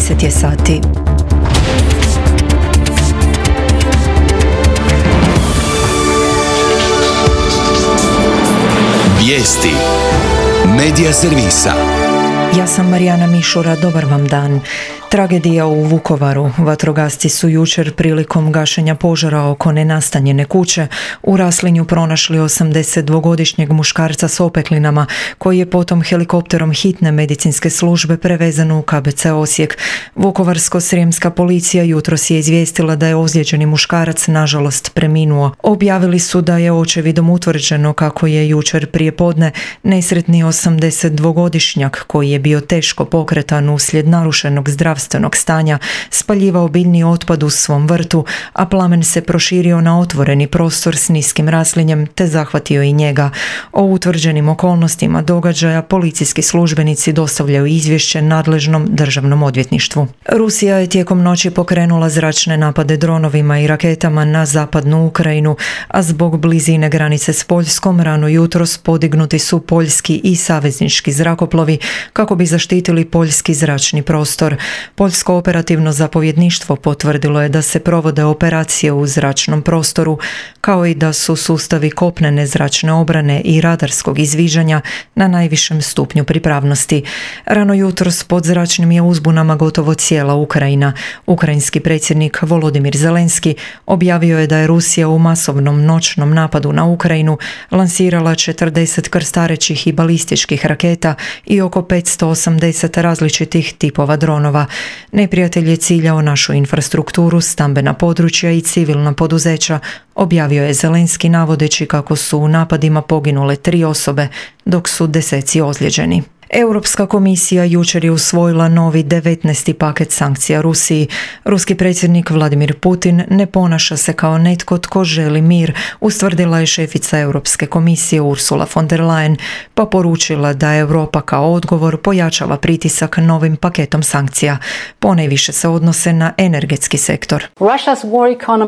10 je sati. Vijesti Medija servisa. Ja sam Marijana Mišura, dobar vam dan. Tragedija u Vukovaru. Vatrogasci su jučer prilikom gašenja požara oko nenastanjene kuće u Raslinju pronašli 82-godišnjeg muškarca s opeklinama, koji je potom helikopterom hitne medicinske službe prevezan u KBC Osijek. Vukovarsko-srijemska policija jutros je izvijestila da je ozlijeđeni muškarac nažalost preminuo. Objavili su da je očevidom utvrđeno kako je jučer prijepodne nesretni 82-godišnjak, koji je bio teško pokretan uslijed narušenog zdravstvenog stanja, spaljivao biljni otpad u svom vrtu, a plamen se proširio na otvoreni prostor s niskim raslinjem te zahvatio i njega. O utvrđenim okolnostima događaja policijski službenici dostavljaju izvješće nadležnom državnom odvjetništvu. Rusija je tijekom noći pokrenula zračne napade dronovima i raketama na zapadnu Ukrajinu, a zbog blizine granice s Poljskom rano jutros podignuti su poljski i saveznički zrakoplovi kako bi zaštitili poljski zračni prostor. Poljsko operativno zapovjedništvo potvrdilo je da se provode operacije u zračnom prostoru, kao i da su sustavi kopnene zračne obrane i radarskog izviđanja na najvišem stupnju pripravnosti. Rano jutros pod zračnim je uzbunama gotovo cijela Ukrajina. Ukrajinski predsjednik Volodimir Zelenski objavio je da je Rusija u masovnom noćnom napadu na Ukrajinu lansirala 40 krstarećih i balističkih raketa i oko 580 različitih tipova dronova. Neprijatelj je ciljao našu infrastrukturu, stambena područja i civilna poduzeća, objavio je Zelenski navodeći kako su u napadima poginule 3 osobe, dok su deseci ozlijeđeni. Europska komisija jučer je usvojila novi 19. paket sankcija Rusiji. Ruski predsjednik Vladimir Putin ne ponaša se kao netko tko želi mir, ustvrdila je šefica Europske komisije Ursula von der Leyen, pa poručila da Europa kao odgovor pojačava pritisak novim paketom sankcija. Ponajviše se odnose na energetski sektor.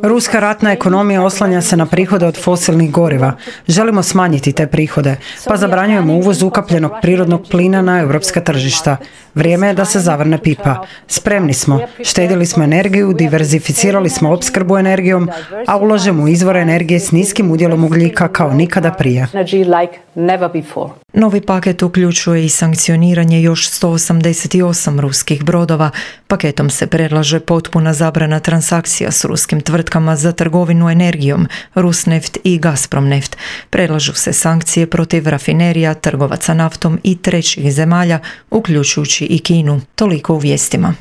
Ruska ratna ekonomija oslanja se na prihode od fosilnih goriva. Želimo smanjiti te prihode, pa zabranjujemo uvoz ukapljenog prirodnog plina na europska tržišta. Vrijeme je da se zavrne pipa. Spremni smo, štedili smo energiju, diverzificirali smo opskrbu energijom, a ulažemo u izvore energije s niskim udjelom ugljika kao nikada prije. Novi paket uključuje i sankcioniranje još 188 ruskih brodova. Paketom se predlaže potpuna zabrana transakcija s ruskim tvrtkama za trgovinu energijom, Rusneft i Gazpromneft. Predlažu se sankcije protiv rafinerija, trgovaca naftom i trećih zemalja, uključujući i Kinu. Toliko u vijestima.